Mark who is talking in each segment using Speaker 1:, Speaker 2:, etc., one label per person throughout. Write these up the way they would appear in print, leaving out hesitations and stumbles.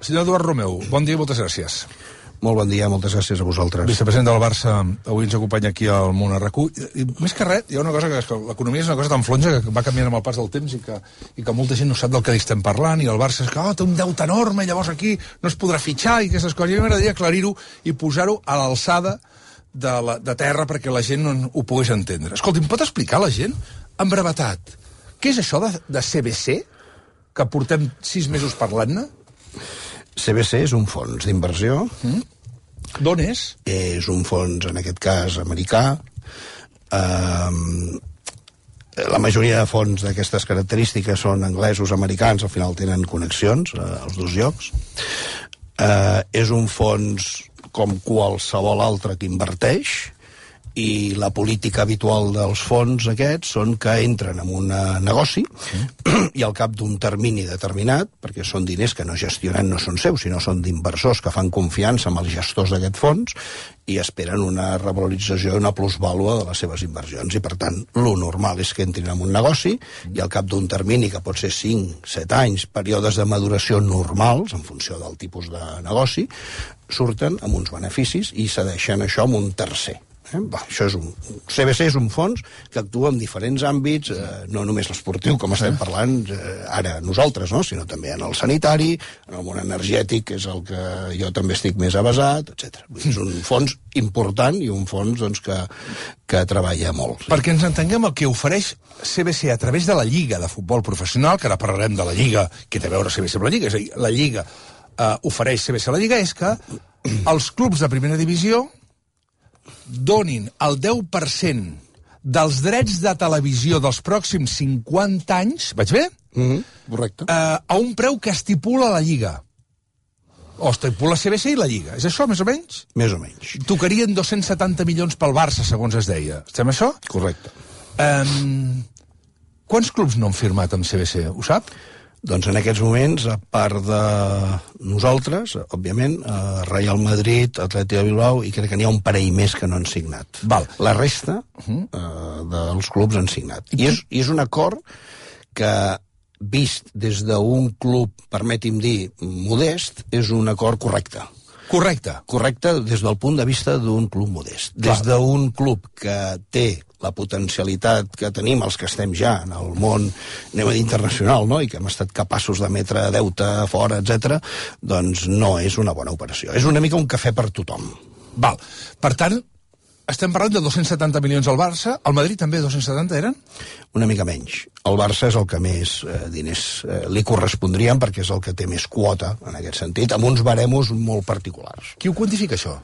Speaker 1: Senyor Eduard Romeu, bon dia i moltes gràcies.
Speaker 2: Molt bon dia, moltes gràcies a vosaltres.
Speaker 1: Vicepresident del Barça, avui ens acompanya aquí al Món RQ. I més que res, hi ha una cosa que l'economia és una cosa tan flonja que va canviant amb el pas del temps i que molta gent no sap del que estem parlant, i el Barça és que té un deute enorme, llavors aquí no es podrà fitxar i aquestes coses. A mi m'agradaria aclarir-ho i posar-ho a l'alçada de terra perquè la gent no ho pogués entendre. Escolti, em pot explicar la gent, en brevetat, què és això de CVC, que portem 6 mesos parlant-ne?
Speaker 2: CVC és un fons d'inversió.
Speaker 1: D'on és?
Speaker 2: És un fons, en aquest cas, americà. La majoria de fons d'aquestes característiques són anglesos, americans, al final tenen connexions als dos llocs. És un fons com qualsevol altre que inverteix, i la política habitual dels fons aquests són que entren en un negoci i al cap d'un termini determinat, perquè són diners que no gestionen, no són seus, sinó són d'inversors que fan confiança amb els gestors d'aquest fons i esperen una revalorització, una plusvàlua de les seves inversions. I per tant, lo normal és que entrin en un negoci i al cap d'un termini, que pot ser 5, 7 anys, períodes de maduració normals, en funció del tipus de negoci, surten amb uns beneficis i cedeixen això amb un tercer. Això és CVC és un fons que actua en diferents àmbits, no només l'esportiu, com estem parlant ara nosaltres, no? Sinó també en el sanitari, en el món energètic, que és el que jo també estic més avesat, etc. És un fons important i un fons doncs, que treballa molt. Sí.
Speaker 1: Perquè ens entenguem, el que ofereix CVC a través de la Lliga de Futbol Professional, que ara parlarem de la Lliga, que té a veure CVC amb la Lliga, és a dir, la Lliga ofereix CVC a la Lliga, és que els clubs de primera divisió donin el 10% dels drets de televisió dels pròxims 50 anys, vaig bé?
Speaker 2: Correcte.
Speaker 1: A un preu que estipula la Lliga. O estipula CVC i la Lliga. És això, més o menys?
Speaker 2: Més o menys.
Speaker 1: Tocarien 270 milions pel Barça, segons es deia. Estem això?
Speaker 2: Correcte.
Speaker 1: Quants clubs no han firmat amb CVC? Ho sap?
Speaker 2: Doncs en aquests moments, a part de nosaltres, òbviament, Real Madrid, Atlètic de Bilbao, i crec que n'hi ha un parell més que no han signat.
Speaker 1: Val.
Speaker 2: La resta dels clubs han signat. I és un acord que, vist des d'un club, permeti'm dir, modest, és un acord correcte.
Speaker 1: Correcte.
Speaker 2: Correcte des del punt de vista d'un club modest. Des d'un club que té la potencialitat que tenim els que estem ja en el món, anem a dir, internacional, no? I que hem estat capaços d'emetre deute fora, etc., doncs no és una bona operació. És una mica un cafè per tothom.
Speaker 1: Val. Per tant, estem parlant de 270 milions al Barça. Al Madrid també 270 eren?
Speaker 2: Una mica menys. El Barça és el que més diners li correspondrien perquè és el que té més quota, en aquest sentit, amb uns baremos molt particulars.
Speaker 1: Qui ho quantifica, això?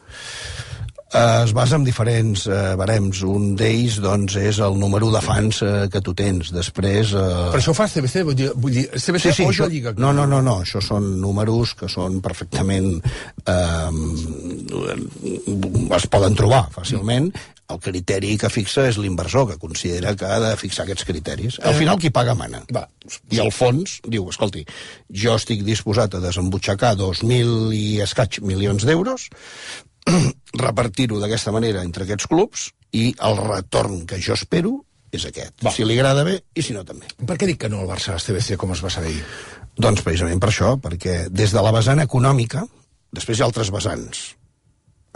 Speaker 2: Es basa en diferents barems. Un d'ells, doncs, és el número de fans que tu tens. Després...
Speaker 1: Per això fa CVC? Vull dir CVC
Speaker 2: sí,
Speaker 1: o
Speaker 2: això,
Speaker 1: la Lliga?
Speaker 2: No. Això són números que són perfectament... es poden trobar fàcilment. El criteri que fixa és l'inversor, que considera que ha de fixar aquests criteris. Al final, qui paga mana.
Speaker 1: Va.
Speaker 2: I el fons diu, escolti, jo estic disposat a desembutxacar 2.000 i escaig milions d'euros, repartir-ho d'aquesta manera entre aquests clubs, i el retorn que jo espero és aquest. Va. Si li agrada bé i si no també.
Speaker 1: Per què dic que no al Barça a CVC, com es va saber?
Speaker 2: Doncs precisament per això, perquè des de la vessant econòmica, després hi ha altres vessants,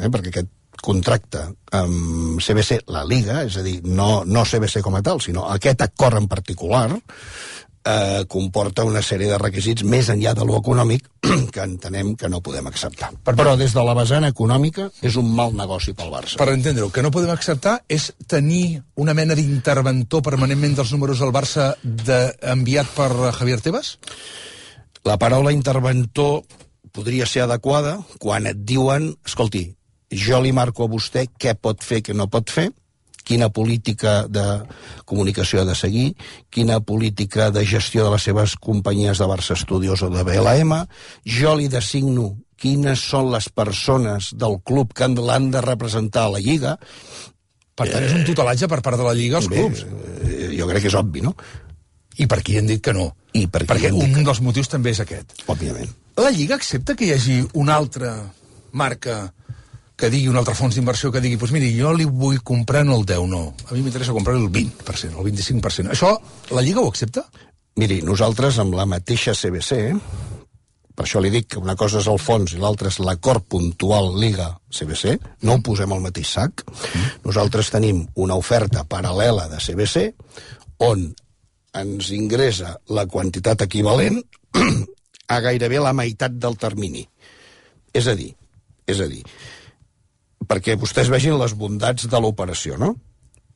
Speaker 2: perquè aquest contracte amb CVC, la Liga, és a dir, no CVC com a tal, sinó aquest acord en particular, comporta una sèrie de requisits més enllà de lo econòmic que entenem que no podem acceptar. Però des de la vessant econòmica és un mal negoci pel Barça.
Speaker 1: Per entendre-ho, que no podem acceptar és tenir una mena d'interventor permanentment dels números del Barça enviat per Javier Tebas?
Speaker 2: La paraula interventor podria ser adequada quan et diuen, escolti, jo li marco a vostè què pot fer, què no pot fer, quina política de comunicació ha de seguir, quina política de gestió de les seves companyies de Barça Studios o de BLM, jo li designo quines són les persones del club que l'han de representar a la Lliga.
Speaker 1: Per tant, és un tutelatge per part de la Lliga als clubs.
Speaker 2: Jo crec que és obvi, no?
Speaker 1: I per qui han dit que no? Perquè un dels motius també és aquest.
Speaker 2: Òbviament.
Speaker 1: La Lliga accepta que hi hagi una altra marca que digui, un altre fons d'inversió que digui, doncs miri, jo li vull comprar no el 10, no. A mi m'interessa comprar el 20%, el 25%. Això, la Lliga ho accepta?
Speaker 2: Miri, nosaltres amb la mateixa CVC per això li dic que una cosa és el fons i l'altra és l'acord puntual Liga-CBC, no ho posem al mateix sac. Nosaltres tenim una oferta paral·lela de CBC on ens ingressa la quantitat equivalent a gairebé la meitat del termini. És a dir, perquè vostès vegin les bondats de l'operació, no?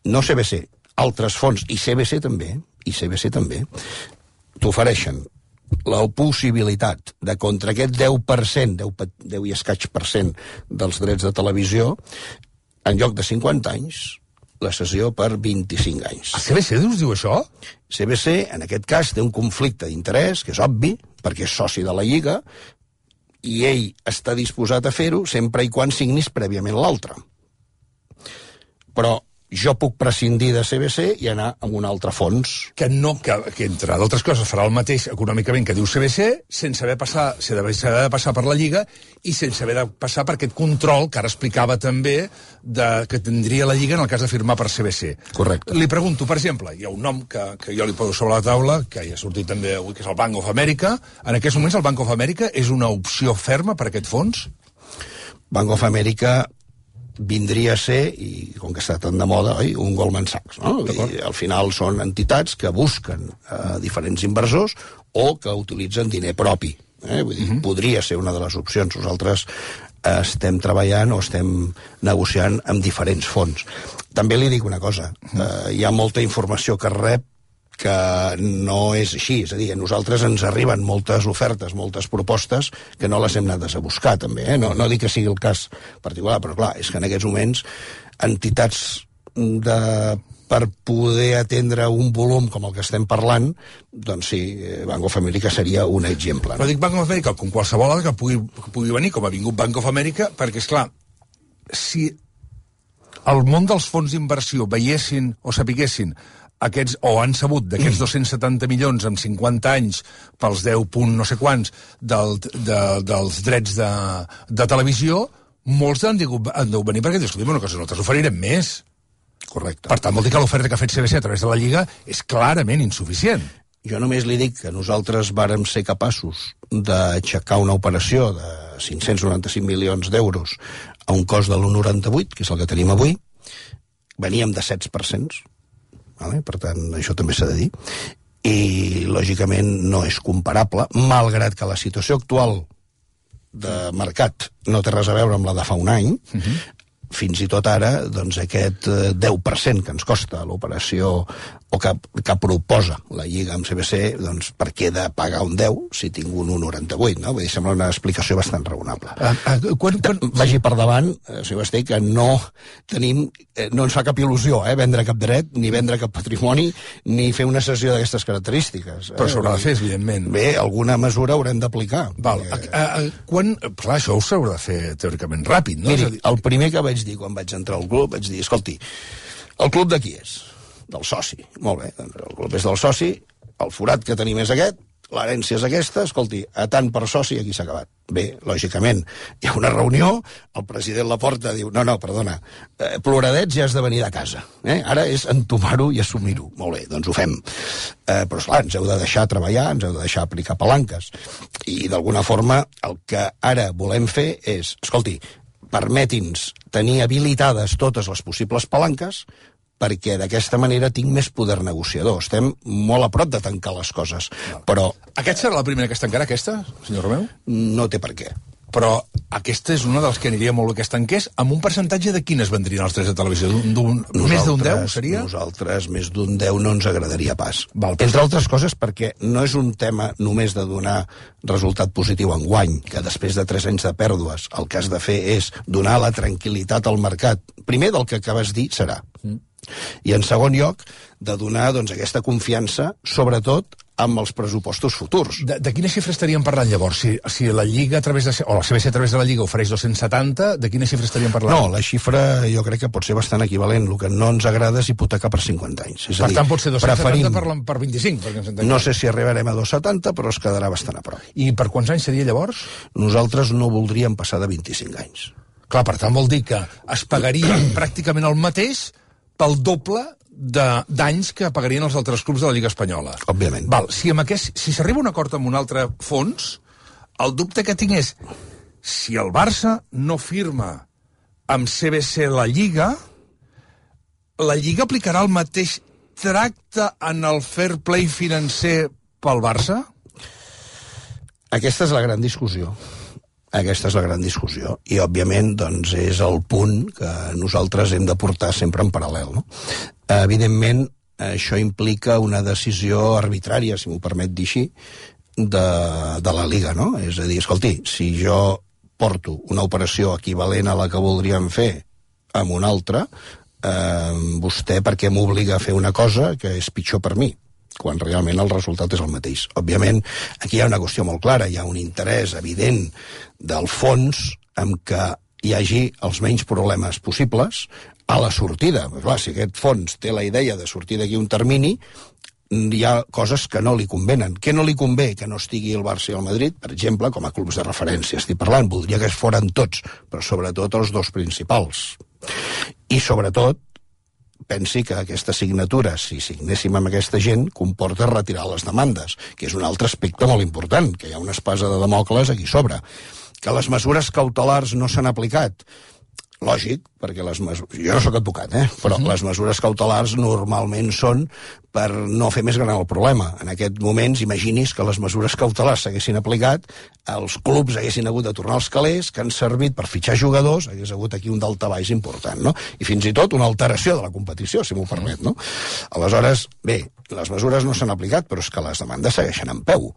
Speaker 2: No CBC, altres fons, i CBC també, t'ofereixen la possibilitat de contra aquest 10%, 10 i escaig per cent dels drets de televisió, en lloc de 50 anys, la cessió per 25 anys.
Speaker 1: A CBC us diu això?
Speaker 2: CBC, en aquest cas, té un conflicte d'interès, que és obvi, perquè és soci de la Lliga, i ell està disposat a fer-ho sempre i quan signis prèviament l'altre. Però jo puc prescindir de CBC i anar a un altre fons.
Speaker 1: Que entre d'altres coses, farà el mateix econòmicament que diu CBC, sense haver de passar per la Lliga i sense haver de passar per aquest control que ara explicava també que tindria la Lliga en el cas de firmar per CBC.
Speaker 2: Correcte.
Speaker 1: Li pregunto, per exemple, hi ha un nom que jo li poso sobre la taula, que ja ha sortit també avui, que és el Bank of America. En aquests moments el Bank of America és una opció ferma per a aquest fons?
Speaker 2: Bank of America vindria a ser, i com que està tan de moda, un Goldman Sachs, no? I al final són entitats que busquen diferents inversors o que utilitzen diner propi. Vull dir, podria ser una de les opcions. Nosaltres estem treballant o estem negociant amb diferents fons. També li dic una cosa, hi ha molta informació que rep que no és així, és a dir, a nosaltres ens arriben moltes ofertes, moltes propostes que no les hem anat a buscar també, no dic que sigui el cas particular, però clar, és que en aquests moments entitats per poder atendre un volum com el que estem parlant, doncs sí, Bank of America seria un exemple.
Speaker 1: Però dic Bank of America com qualsevol altre que pugui venir, com ha vingut Bank of America, perquè, esclar, si el món dels fons d'inversió veiessin o sapiguessin aquests, o han sabut d'aquests 270 milions en 50 anys pels 10 punt no sé quants dels drets de televisió, molts han de venir perquè diuen, escolta, una cosa, nosaltres oferirem més.
Speaker 2: Correcte.
Speaker 1: Per tant, vol dir que l'oferta que ha fet CBC a través de la Lliga és clarament insuficient.
Speaker 2: Jo només li dic que nosaltres vàrem ser capaços d'aixecar una operació de 595 milions d'euros a un cost de l'1,98, que és el que tenim avui. Veníem de 7%, per tant, això també s'ha de dir, i lògicament no és comparable, malgrat que la situació actual de mercat no té res a veure amb la de fa un any. Fins i tot ara, doncs, aquest 10% que ens costa l'operació o que proposa la Lliga amb CBC, doncs, per què de pagar un 10 si tinc un 1,98, no? Vull dir, sembla una explicació bastant raonable. Vagi per davant, senyor Basté, que no ens fa cap il·lusió, vendre cap dret, ni vendre cap patrimoni, ni fer una cessió d'aquestes característiques.
Speaker 1: Però s'haurà de fer, evidentment.
Speaker 2: Bé, alguna mesura haurem d'aplicar.
Speaker 1: Clar, això ho s'haurà de fer teòricament ràpid, no?
Speaker 2: Miri, el primer que vaig dir quan vaig entrar al club, vaig dir, escolti, el club de qui és? Del soci. Molt bé, doncs el club és del soci, el forat que tenim és aquest, l'herència és aquesta, escolti, a tant per soci aquí s'ha acabat. Bé, lògicament, hi ha una reunió, el president Laporta diu, no, perdona, ploradets ja has de venir de casa. Ara és entomar-ho i assumir-ho. Molt bé, doncs ho fem. Però, esclar, ens heu de deixar treballar, ens heu de deixar aplicar palanques. I, d'alguna forma, el que ara volem fer és, escolti, permeti'ns tenir habilitades totes les possibles palanques perquè d'aquesta manera tinc més poder negociador. Estem molt a prop de tancar les coses, però...
Speaker 1: Aquesta serà la primera que es tancarà, aquesta, senyor Romeu?
Speaker 2: No té per què.
Speaker 1: Però aquesta és una de les que aniria molt bé que es tanqués, amb un percentatge de quines vendrien els drets de televisió? Més d'un 10, seria?
Speaker 2: Nosaltres més d'un 10 no ens agradaria pas. Entre altres coses perquè no és un tema només de donar resultat positiu en guany, que després de 3 anys de pèrdues el que has de fer és donar la tranquil·litat al mercat. Primer del que acabes de dir serà. I en segon lloc, de donar aquesta confiança, sobretot amb els pressupostos futurs.
Speaker 1: De quina xifra estaríem parlant llavors? Si la Lliga o la CBC a través de la Lliga ofereix 270, de quina xifra estaríem parlant?
Speaker 2: No, la xifra jo crec que pot ser bastant equivalent. El que no ens agrada és hipotecar per 50 anys.
Speaker 1: Per tant, pot ser 270 per 25.
Speaker 2: No sé si arribarem a 270, però es quedarà bastant a prop.
Speaker 1: I per quants anys seria llavors?
Speaker 2: Nosaltres no voldríem passar de 25 anys.
Speaker 1: Clar, per tant vol dir que es pagaria pràcticament el mateix pel doble d'anys que pagarien els altres clubs de la Lliga Espanyola.
Speaker 2: Òbviament.
Speaker 1: Si s'arriba a un acord amb un altre fons, el dubte que tinc és si el Barça no firma amb CVC la Lliga aplicarà el mateix tracte en el fair play financer pel Barça?
Speaker 2: Aquesta és la gran discussió. Aquesta és la gran discussió. I, òbviament, doncs, és el punt que nosaltres hem de portar sempre en paral·lel, no? Evidentment, això implica una decisió arbitrària, si m'ho permet dir així, de la Liga, no? És a dir, escolti, si jo porto una operació equivalent a la que voldríem fer amb una altra, vostè per què m'obliga a fer una cosa que és pitjor per mi, quan realment el resultat és el mateix. Òbviament, aquí hi ha una qüestió molt clara, hi ha un interès evident del fons en què hi hagi els menys problemes possibles a la sortida. Clar, si aquest fons té la idea de sortir d'aquí un termini, hi ha coses que no li convenen. Què no li convé? Que no estigui el Barça i el Madrid, per exemple, com a clubs de referència estic parlant. Voldria que es foren tots, però sobretot els dos principals. I sobretot, pensi que aquesta signatura, si signéssim amb aquesta gent, comporta retirar les demandes, que és un altre aspecte molt important, que hi ha una espasa de Damocles aquí sobre. Que les mesures cautelars no s'han aplicat. Lògic, perquè jo no sóc advocat, però les mesures cautelars normalment són per no fer més gran el problema. En aquest moments, imagini's que les mesures cautelars s'haguessin aplicat, els clubs haguessin hagut de tornar als calés, que han servit per fitxar jugadors, hagués hagut aquí un daltabaix important, no? I fins i tot una alteració de la competició, si m'ho permet, no? Aleshores, bé, les mesures no s'han aplicat, però és que les demandes segueixen en peu.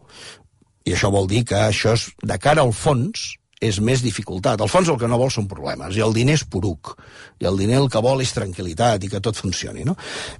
Speaker 2: I això vol dir que això és, de cara al fons, és més dificultat. Al fons el que no vol són problemes, i el diner és poruc, i el diner el que vol és tranquil·litat i que tot funcioni, no?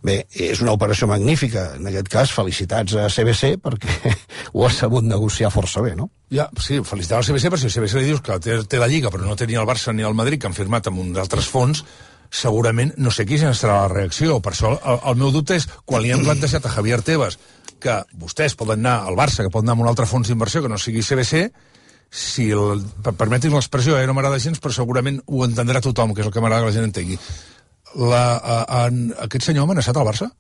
Speaker 2: Bé, és una operació magnífica, en aquest cas, felicitats a CVC, perquè ho ha sabut negociar força bé, no?
Speaker 1: Ja, sí, felicitats al CVC, perquè si el CVC li dius que té la Lliga, però no té ni el Barça ni el Madrid, que han firmat amb uns altres fons, segurament no sé quina serà la reacció. Per això el meu dubte és, quan li han plantejat a Javier Tebas que vostès poden anar al Barça, que poden anar amb un altre fons d'inversió que no sigui CVC, si permetin l'expressió, no m'agrada gens, però segurament ho entendrà tothom, que és el que m'agrada que la gent entengui. Aquest senyor ha amenaçat al Barça?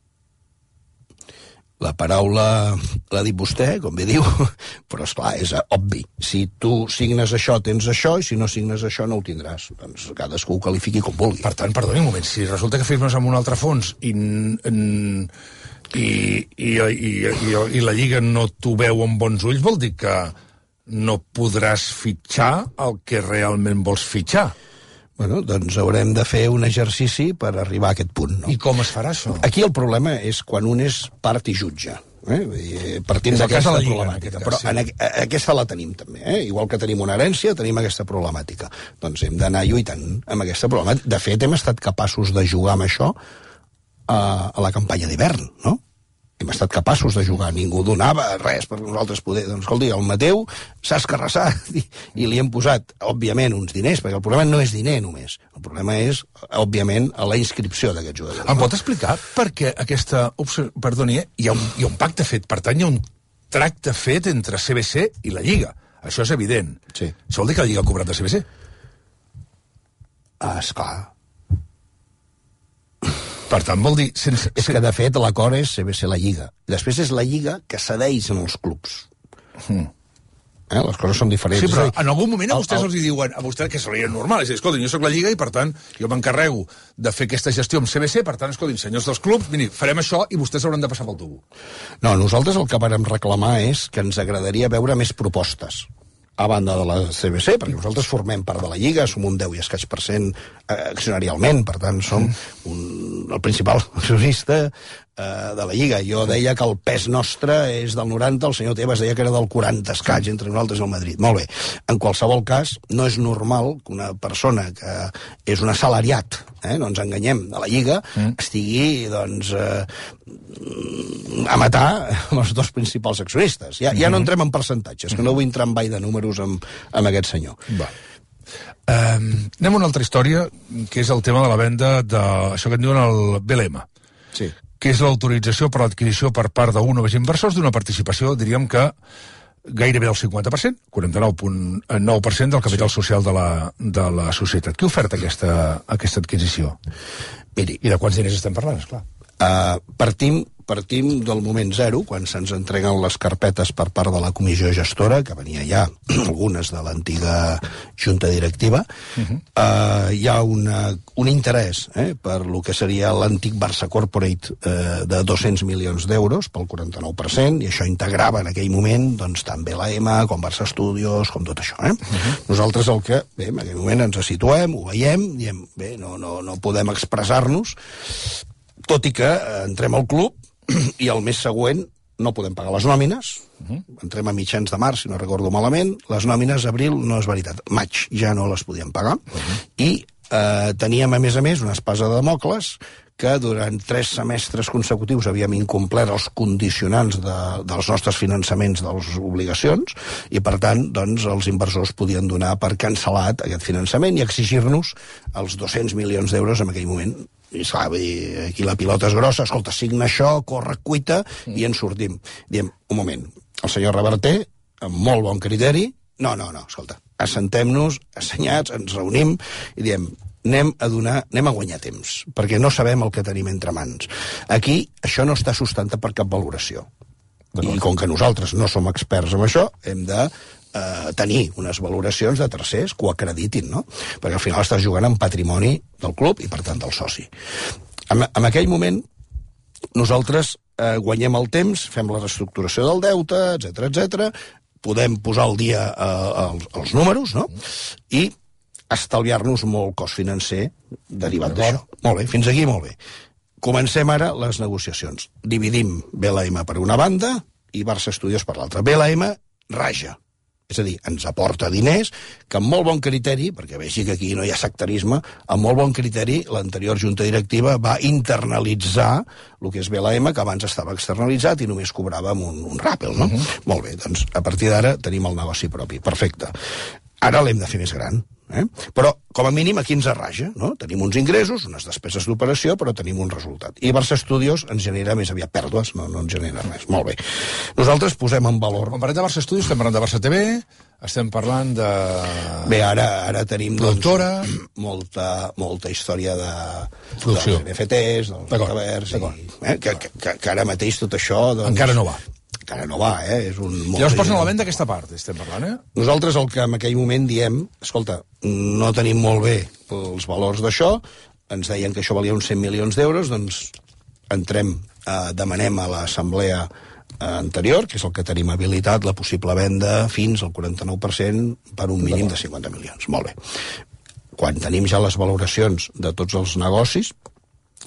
Speaker 2: La paraula l'ha dit vostè, com bé diu, però esclar, és obvi. Si tu signes això, tens això, i si no signes això, no ho tindràs. Doncs cadascú ho qualifiqui com vulgui.
Speaker 1: Per tant, perdoni un moment, si resulta que firmes amb un altre fons i la Lliga no t'ho veu amb bons ulls, vol dir que no podràs fitxar el que realment vols fitxar.
Speaker 2: Bueno, doncs haurem de fer un exercici per arribar a aquest punt, no?
Speaker 1: I com es farà això?
Speaker 2: Aquí el problema és quan un és part i jutge. Partint d'aquesta problemàtica. Però aquesta la tenim també. Igual que tenim una herència, tenim aquesta problemàtica. Doncs hem d'anar lluitant amb aquesta problemàtica. De fet, hem estat capaços de jugar amb això a la campanya d'hivern, no? Hem estat capaços de jugar, ningú donava res per nosaltres poder. Doncs, escolti, el Mateu s'ha escarrassat i li hem posat, òbviament, uns diners, perquè el problema no és diner només. El problema és, òbviament, a la inscripció d'aquests jugadors.
Speaker 1: Em pot explicar per què aquesta opció... Perdoni, hi ha un pacte fet, per tant, hi ha un tracte fet entre CVC i la Lliga. Això és evident.
Speaker 2: Sí.
Speaker 1: Això vol dir que la Lliga ha cobrat de CVC?
Speaker 2: Esclar.
Speaker 1: Per tant, vol dir...
Speaker 2: És que, de fet, l'acord és CVC la Lliga. Després és la Lliga que cedeix en els clubs. Les coses són diferents.
Speaker 1: Sí, però en algun moment a vostès els diuen a vostès que seria normal. És a dir, escolta, jo soc la Lliga i, per tant, jo m'encarrego de fer aquesta gestió amb CVC, per tant, escolta, senyors dels clubs, miri, farem això i vostès hauran de passar pel tubo.
Speaker 2: No, nosaltres el que vàrem reclamar és que ens agradaria veure més propostes a banda de la CVC, perquè nosaltres formem part de la Lliga, som un 10 i escaig % accionarialment, per tant som el principal accionista de la Lliga. Jo deia que el pes nostre és del 90, el senyor Tebas deia que era del 40 escaig entre nosaltres i el Madrid. Molt bé. En qualsevol cas, no és normal que una persona que és un assalariat, no ens enganyem, de la Lliga, estigui, doncs, a matar els dos principals accionistes. Ja no entrem en percentatges, que no vull entrar en ball de números amb aquest senyor.
Speaker 1: Va. Anem a una altra història, que és el tema de la venda d'això que en diuen el BLM.
Speaker 2: Sí.
Speaker 1: Que és l'autorització per l'adquisició per part d'un o més inversors d'una participació, diríem que gairebé del 50%, 49,9% del capital social de la societat. Qui oferta aquesta adquisició?
Speaker 2: Miri,
Speaker 1: i de quants diners estem parlant, esclar?
Speaker 2: Partim partim del moment zero, quan se'ns entreguen les carpetes per part de la comissió gestora, que venia ja algunes de l'antiga junta directiva. Hi ha un interès per lo que seria l'antic Barça Corporate de 200 milions d'euros pel 49%, i això integrava en aquell moment doncs, tant BLM com Barça Studios, com tot això. Nosaltres el que, bé, en aquell moment ens situem, ho veiem, diem, bé, no podem expressar-nos, tot i que entrem al club i el mes següent no podem pagar les nòmines, entrem a mitjans de març, si no recordo malament, les nòmines abril no és veritat, maig ja no les podíem pagar, i teníem a més una espasa de Dàmocles que durant 3 semestres consecutius havíem incomplert els condicionants dels nostres finançaments de les obligacions, i per tant doncs, els inversors podien donar per cancel·lat aquest finançament i exigir-nos els 200 milions d'euros en aquell moment. I esclar, aquí la pilota és grossa, escolta, signa això, corre, cuita, i ens sortim. Diem, un moment, el senyor Reverter, amb molt bon criteri, no, escolta, assentem-nos, assenyats, ens reunim, i diem, anem a guanyar temps, perquè no sabem el que tenim entre mans. Aquí, això no està sustentat per cap valoració. I com que nosaltres no som experts en això, hem de tenir unes valoracions de tercers que ho acreditin, no? Perquè al final estàs jugant amb patrimoni del club i, per tant, del soci. En aquell moment, nosaltres guanyem el temps, fem la reestructuració del deute, etc, podem posar al dia els números, no? I estalviar-nos molt cost financer derivat d'això. Molt bé, fins aquí molt bé. Comencem ara les negociacions. Dividim BLM per una banda i Barça Studios per l'altra. BLM raja. És a dir, ens aporta diners que amb molt bon criteri, perquè vegi que aquí no hi ha sectarisme, amb molt bon criteri l'anterior junta directiva va internalitzar el que és BLM, que abans estava externalitzat i només cobrava amb un ràpel, no? Molt bé, doncs a partir d'ara tenim el negoci propi. Perfecte. Ara l'hem de fer més gran. Però, com a mínim, aquí ens arraja, no? Tenim uns ingressos, unes despeses d'operació, però tenim un resultat. I Barça Studios ens genera més aviat pèrdues, no ens genera res. Molt bé. Nosaltres posem en valor...
Speaker 1: Quan parlem de Barça Studios, estem parlant de Barça TV, estem parlant de...
Speaker 2: Bé, ara tenim
Speaker 1: productora,
Speaker 2: molta història de
Speaker 1: producció,
Speaker 2: dels NFTs, dels metaverts, que ara mateix tot això...
Speaker 1: Encara no va.
Speaker 2: Encara no va, és un...
Speaker 1: Llavors posen a la venda aquesta part, estem parlant,
Speaker 2: Nosaltres el que en aquell moment diem, escolta, no tenim molt bé els valors d'això, ens deien que això valia uns 100 milions d'euros, doncs entrem, demanem a l'assemblea anterior, que és el que tenim habilitat, la possible venda fins al 49% per un mínim de 50 milions. Molt bé. Quan tenim ja les valoracions de tots els negocis,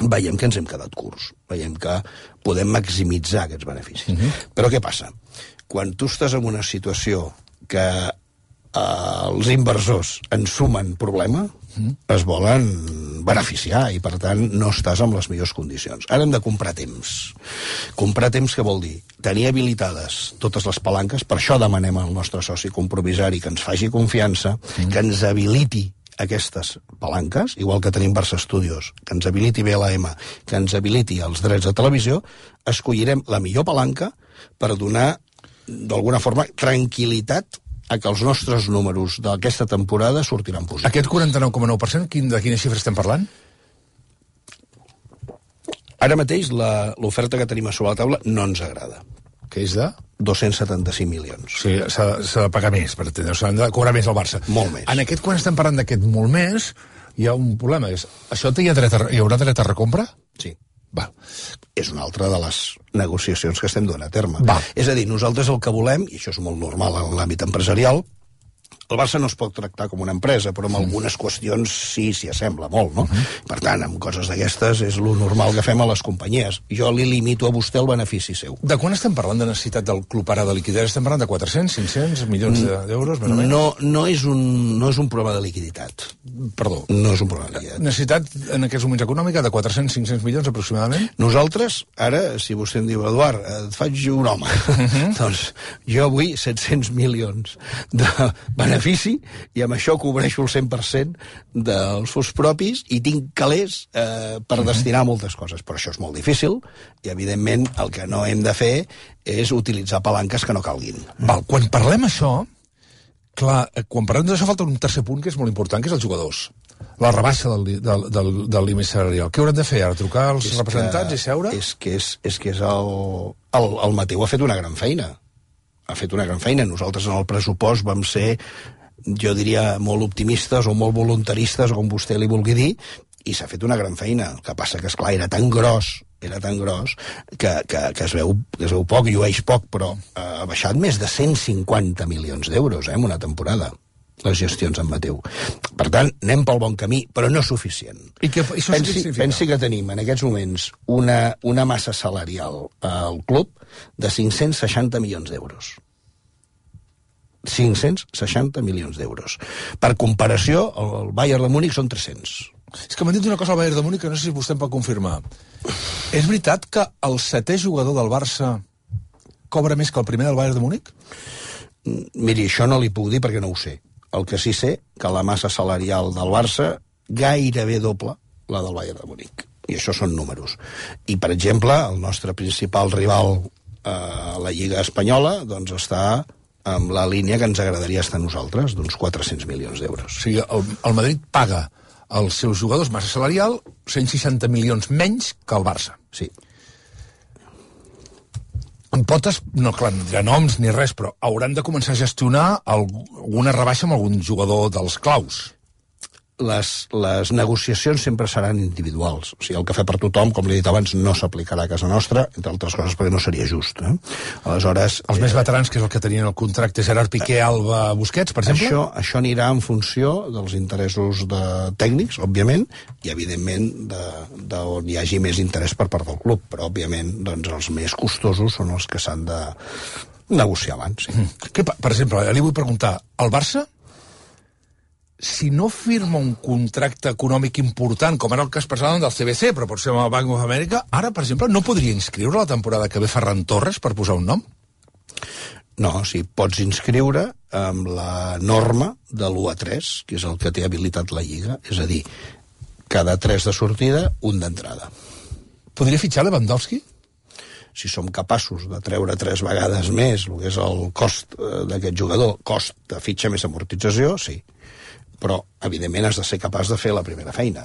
Speaker 2: veiem que ens hem quedat curts, veiem que podem maximitzar aquests beneficis. Però què passa? Quan tu estàs en una situació que els inversors ens sumen problema, es volen beneficiar i, per tant, no estàs en les millors condicions. Ara hem de comprar temps. Comprar temps què vol dir? Tenir habilitades totes les palanques, per això demanem al nostre soci compromisari que ens faci confiança, que ens habiliti aquestes palanques, igual que tenim Barça Studios, que ens habiliti BLM, que ens habiliti els drets de televisió, escollirem la millor palanca per donar, d'alguna forma, tranquil·litat a que els nostres números d'aquesta temporada sortiran positius.
Speaker 1: Aquest 49,9%, de quina xifra estem parlant?
Speaker 2: Ara mateix l'oferta que tenim a sobre la taula no ens agrada.
Speaker 1: Que és de?
Speaker 2: 275 milions.
Speaker 1: Sí, s'ha de pagar més, per entendre, s'ha de cobrar més el Barça.
Speaker 2: Molt més.
Speaker 1: En aquest, quan estem parlant d'aquest molt més, hi ha un problema. Això hi haurà dret a recompra?
Speaker 2: Sí.
Speaker 1: Va.
Speaker 2: És una altra de les negociacions que estem donant a terme.
Speaker 1: Va.
Speaker 2: És a dir, nosaltres el que volem, i això és molt normal en l'àmbit empresarial, el Barça no es pot tractar com una empresa, però en algunes qüestions sí s'hi assembla molt, no? Per tant, amb coses d'aquestes és lo normal que fem a les companyies. Jo li limito a vostè el benefici seu.
Speaker 1: De quan estem parlant de necessitat del club ara de liquiditat? Estem parlant de 400, 500 milions d'euros, més o menys?
Speaker 2: No és un problema de liquiditat.
Speaker 1: Perdó.
Speaker 2: No és un problema de liquiditat.
Speaker 1: Necessitat en aquests moments econòmica de 400, 500 milions aproximadament?
Speaker 2: Nosaltres, ara, si vostè em diu, Eduard, et faig un home, doncs jo vull 700 milions de benefici i amb això cobreixo el 100% dels fons propis i tinc calés per destinar a moltes coses. Però això és molt difícil i, evidentment, el que no hem de fer és utilitzar palanques que no calguin.
Speaker 1: Val, quan parlem això, clar, quan parlem d'això falta un tercer punt que és molt important, que és els jugadors. la rebaixa del límit salarial. Què hauran de fer ara? Trucar als representants i seure?
Speaker 2: És que el Mateu ha fet una gran feina. Ha fet una gran feina. Nosaltres en el pressupost vam ser, jo diria, molt optimistes o molt voluntaristes, o com vostè li vulgui dir, i s'ha fet una gran feina. El que passa que, esclar, era tan gros que es veu poc, llueix poc, però ha baixat més de 150 milions d'euros en una temporada, les gestions en Mateu. Per tant, anem pel bon camí, però no suficient.
Speaker 1: I això
Speaker 2: pensi que tenim en aquests moments una massa salarial al club de 560 milions d'euros. 560 milions d'euros. Per comparació, el Bayern de Múnich són 300.
Speaker 1: És que m'han dit una cosa al Bayern de Múnich que no sé si vostè em pot confirmar. És veritat que el 7è jugador del Barça cobra més que el primer del Bayern de Múnich?
Speaker 2: Miri, això no li puc dir perquè no ho sé. El que sí sé, que la massa salarial del Barça gairebé doble la del Bayern de Múnich. I això són números. I, per exemple, el nostre principal rival a la Lliga Espanyola doncs està amb la línia que ens agradaria estar a nosaltres, d'uns 400 milions d'euros.
Speaker 1: O sigui, el Madrid paga als seus jugadors massa salarial 160 milions menys que el Barça.
Speaker 2: Sí.
Speaker 1: En potes, no, clar, no dirà noms ni res, però hauran de començar a gestionar alguna rebaixa amb algun jugador dels claus.
Speaker 2: Les negociacions sempre seran individuals. O sigui, el cafè per tothom, com li he dit abans, no s'aplicarà a casa nostra, entre altres coses perquè no seria just. Aleshores...
Speaker 1: Els més veterans, que és el que tenien el contracte, Gerard Piqué, Alba, Busquets, per exemple?
Speaker 2: Això anirà en funció dels interessos tècnics, òbviament, i, evidentment, d'on hi hagi més interès per part del club. Però, òbviament, doncs, els més costosos són els que s'han de negociar abans. Sí.
Speaker 1: Per exemple, li vull preguntar, el Barça, si no firma un contracte econòmic important, com era el cas passava del CBC, però pot ser amb el Bank of America, ara, per exemple, no podria inscriure la temporada que ve Ferran Torres, per posar un nom?
Speaker 2: No, sí, pots inscriure amb la norma de l'1-3, que és el que té habilitat la Lliga, és a dir, cada 3 de sortida, un d'entrada.
Speaker 1: Podria fitxar Lewandowski?
Speaker 2: Si som capaços de treure 3 vegades més el que és el cost d'aquest jugador, cost de fitxa més amortització, sí. Però, evidentment, has de ser capaç de fer la primera feina.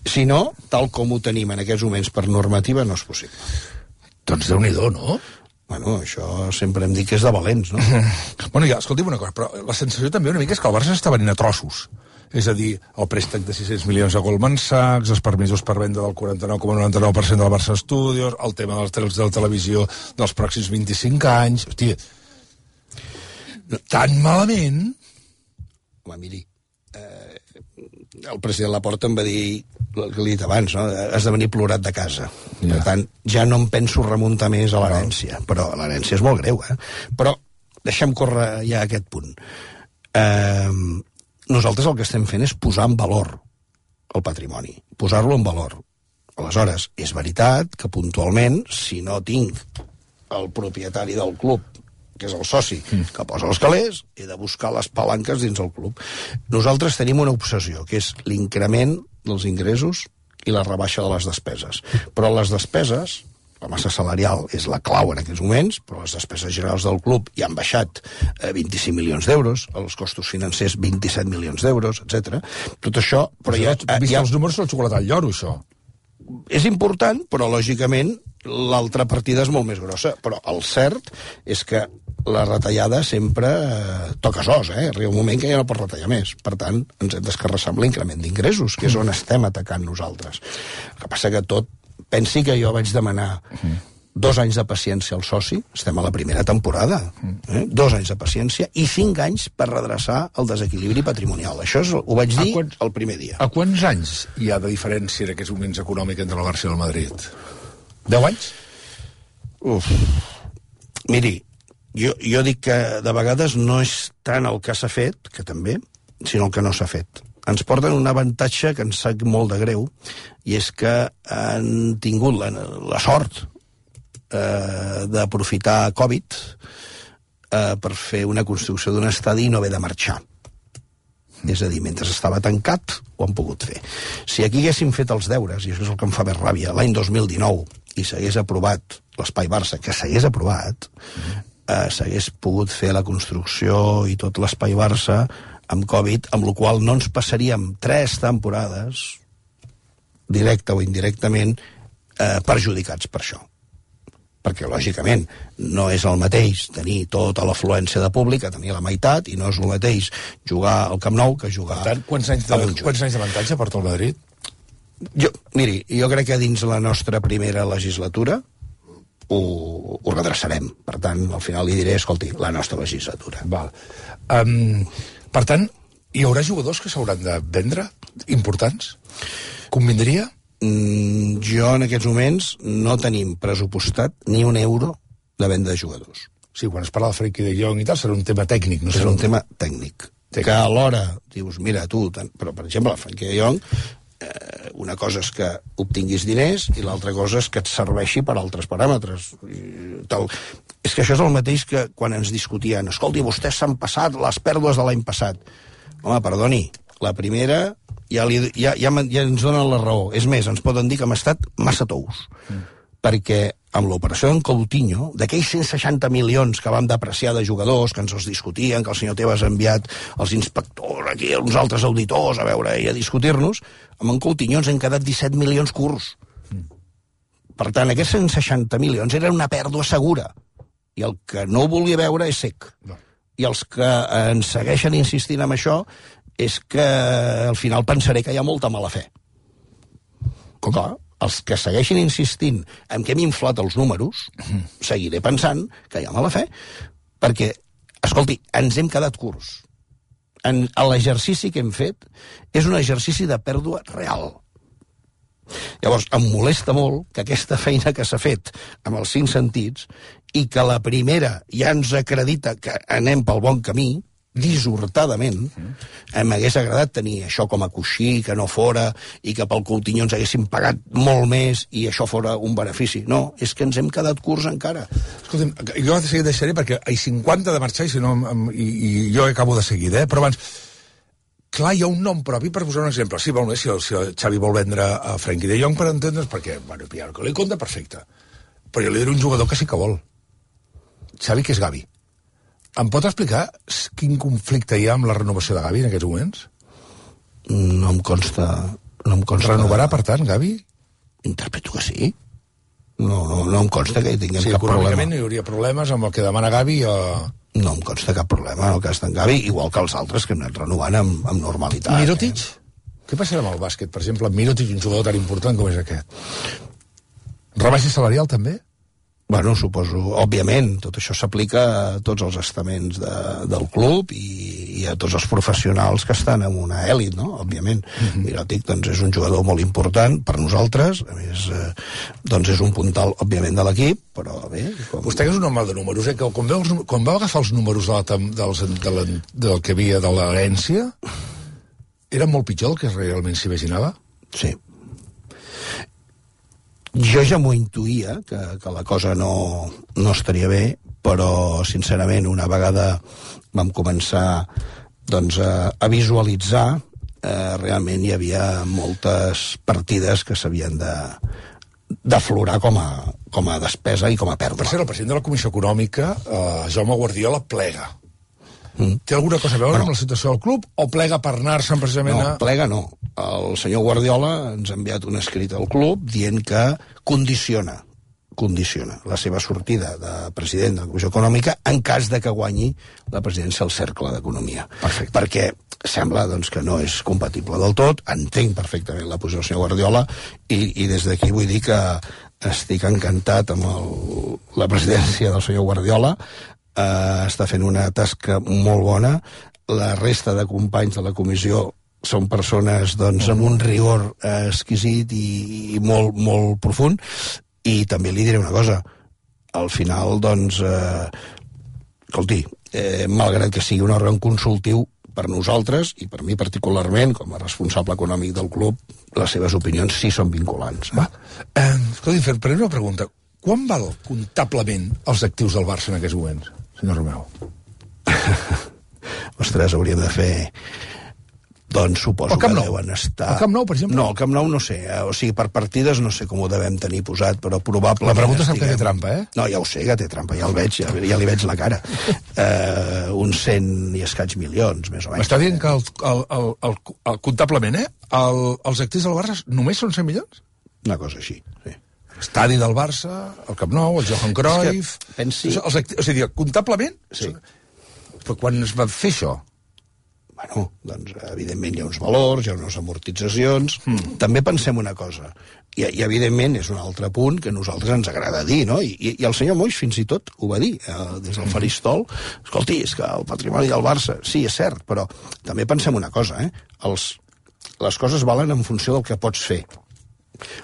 Speaker 2: Si no, tal com ho tenim en aquests moments per normativa, no és possible.
Speaker 1: Doncs Déu-n'hi-do, no?
Speaker 2: Bueno, això sempre hem dit que és de valents, no?
Speaker 1: Bueno, ja, escolti'm una cosa, però la sensació també una mica és que el Barça s'està venint a trossos. És a dir, el préstec de 600 milions a Goldman Sachs, els permisos per venda del 49,99% del Barça Studios, el tema dels drets de la televisió dels pròxims 25 anys... Hòstia, tan malament...
Speaker 2: Home, miri, el president Laporta em va dir el que li he dit abans, no? Has de venir plorat de casa. Ja. Per tant, ja no em penso remuntar més a l'herència, però l'herència és molt greu, Però deixem córrer ja aquest punt. Nosaltres el que estem fent és posar en valor el patrimoni, posar-lo en valor. Aleshores, és veritat que puntualment, si no tinc el propietari del club, que és el soci, que posa els calés, he de buscar les palanques dins el club. Nosaltres tenim una obsessió, que és l'increment dels ingressos i la rebaixa de les despeses. Però les despeses, la massa salarial és la clau en aquests moments, però les despeses generals del club ja han baixat 25 milions d'euros, els costos financers 27 milions d'euros, etc. Tot això...
Speaker 1: Però ja els números del xocolata al lloro, això.
Speaker 2: És important, però lògicament l'altra partida és molt més grossa. Però el cert és que la retallada sempre toca sos, Arriba un moment que ja no pots retallar més. Per tant, ens hem d'escarrassar amb l'increment d'ingressos, que és on estem atacant nosaltres. El que passa que tot... Pensi que jo vaig demanar 2 anys de paciència al soci, estem a la primera temporada, 2 anys de paciència i 5 anys per redreçar el desequilibri patrimonial. Això ho vaig dir el primer dia.
Speaker 1: A quants anys hi ha de diferència en aquests moments econòmics entre el Barça i el Madrid? 10 anys?
Speaker 2: Miri, jo dic que de vegades no és tant el que s'ha fet, que també, sinó el que no s'ha fet. Ens porten un avantatge que ens sap molt de greu, i és que han tingut la sort d'aprofitar Covid per fer una construcció d'un estadi i no haver de marxar. És a dir, mentre estava tancat, ho han pogut fer. Si aquí haguéssim fet els deures, i això és el que em fa més ràbia, l'any 2019, i s'hagués aprovat l'Espai Barça, que s'hagués aprovat, s'hagués pogut fer la construcció i tot l'Espai Barça amb Covid, amb la qual no ens passaríem 3 temporades, directe o indirectament, perjudicats per això. Perquè, lògicament, no és el mateix tenir tota l'afluència de públic, que tenir la meitat, i no és el mateix jugar al Camp Nou que jugar...
Speaker 1: Per tant, quants anys d'avantatge porta el Madrid?
Speaker 2: Miri, jo crec que dins la nostra primera legislatura ho redreçarem. Per tant, al final li diré, escolti, la nostra legislatura.
Speaker 1: Val. Per tant, hi haurà jugadors que s'hauran de vendre? Importants? Convindria?
Speaker 2: Jo en aquests moments no tenim pressupostat ni un euro de venda de jugadors.
Speaker 1: Sí, quan es parla de Frenkie de Jong i tal, serà un tema tècnic. No
Speaker 2: serà un tema tècnic. Que alhora dius, mira, tu... Però, per exemple, Frenkie de Jong, una cosa és que obtinguis diners i l'altra cosa és que et serveixi per altres paràmetres. És que això és el mateix que quan ens discutien, escolti, vostès s'han passat les pèrdues de l'any passat. Home, perdoni, la primera... ja ens donen la raó. És més, ens poden dir que hem estat massa tous. Perquè amb l'operació d'en Coutinho, d'aquells 160 milions que vam depreciar de jugadors, que ens els discutien, que el senyor Tebas ha enviat els inspectors aquí, uns altres auditors a veure i a discutir-nos, amb en Coutinho ens han quedat 17 milions curts. Per tant, aquests 160 milions eren una pèrdua segura. I el que no ho volia veure és sec. I els que ens segueixen insistint en això és que al final pensaré que hi ha molta mala fe. Clar, els que segueixin insistint en que hem inflat els números, seguiré pensant que hi ha mala fe, perquè, escolti, ens hem quedat curts. L'exercici que hem fet és un exercici de pèrdua real. Llavors, em molesta molt que aquesta feina que s'ha fet amb els 5 sentits i que la primera ja ens acredita que anem pel bon camí, dissortadament, m'hagués agradat tenir això com a coixí, que no fora, i que pel Coutinho ens haguessin pagat molt més i això fora un benefici. No, és que ens hem quedat curts encara.
Speaker 1: Escolta'm, jo de seguida deixaré perquè hi 50 de marxar i jo acabo de seguida, però abans... Clar, hi ha un nom propi per posar un exemple. Sí, molt bé, si el Xavi vol vendre a Frenkie de Jong, per entendre's, perquè, bueno, pillar que li compta, perfecte. Però jo li diré un jugador que sí que vol. Xavi, que és Gavi. Em pot explicar quin conflicte hi ha amb la renovació de Gavi en aquests moments?
Speaker 2: No em consta...
Speaker 1: Renovarà, per tant, Gavi?
Speaker 2: Interpreto que sí. No em consta que hi tinguem cap problema.
Speaker 1: Econòmicament no hi hauria problemes amb el que demana Gavi o...
Speaker 2: No em consta cap problema en el cas d'en Gavi, igual que els altres que hem anat renovant amb normalitat.
Speaker 1: Mirotic? Què passarà amb el bàsquet, per exemple, amb Mirotic, un jugador tan important com és aquest? Rebaixa salarial, també?
Speaker 2: Bueno, suposo, òbviament, tot això s'aplica a tots els estaments del club i a tots els professionals que estan en una èlit, no?, òbviament. Mirotic, doncs, és un jugador molt important per nosaltres, a més, doncs és un puntal, òbviament, de l'equip, però bé...
Speaker 1: Vostè que és un home de números, que quan vau agafar els números del que havia de l'herència, era molt pitjor del que realment s'imaginava?
Speaker 2: Sí. Jo ja m'ho intuïa, que la cosa no estaria bé, però, sincerament, una vegada vam començar doncs, a visualitzar, realment hi havia moltes partides que s'havien d'aflorar com a despesa i com a pèrdua.
Speaker 1: Per cert, el president de la Comissió Econòmica, Jaume Guardiola, plega. Té alguna cosa a veure amb la situació del club o plega per anar-se'n precisament
Speaker 2: No, plega no. El senyor Guardiola ens ha enviat un escrit al club dient que condiciona la seva sortida de president de la Comissió Econòmica en cas de que guanyi la presidència del Cercle d'Economia.
Speaker 1: Perfecte.
Speaker 2: Perquè sembla doncs, que no és compatible del tot, entenc perfectament la posició del senyor Guardiola i des d'aquí vull dir que estic encantat amb la presidència del senyor Guardiola. Està fent una tasca molt bona. La resta de companys de la comissió són persones doncs, amb un rigor exquisit i molt, molt profund. I també li diré una cosa. Al final, doncs, escolti, malgrat que sigui un òrgan consultiu, per nosaltres, i per mi particularment, com a responsable econòmic del club, les seves opinions sí són vinculants.
Speaker 1: Escolti, faré una pregunta. Quan val comptablement els actius del Barça en aquests moments, senyor Romeu?
Speaker 2: Ostres, hauríem de fer Doncs suposo que deuen estar...
Speaker 1: El Camp Nou, per exemple?
Speaker 2: No, el Camp Nou no sé. O sigui, per partides no sé com ho devem tenir posat, però probablement...
Speaker 1: La pregunta sap que té trampa, eh?
Speaker 2: No, ja ho sé que té trampa, ja el veig, ja li veig la cara. Uns 100 i escaig milions, més o menys.
Speaker 1: M'està dient que comptablement, els actius del Barça només són 100 milions?
Speaker 2: Una cosa així, sí.
Speaker 1: Estadi del Barça, el Camp Nou, el Johan Cruyff...
Speaker 2: Pensi...
Speaker 1: O sigui, comptablement...
Speaker 2: Sí.
Speaker 1: Però quan es va fer això?
Speaker 2: Bueno, doncs, evidentment, hi ha uns valors, hi ha unes amortitzacions... També pensem una cosa, i evidentment és un altre punt que a nosaltres ens agrada dir, no? I el senyor Moix fins i tot ho va dir des del faristol. Escolti, és que el patrimoni del Barça... Sí, és cert, però també pensem una cosa, les coses valen en funció del que pots fer.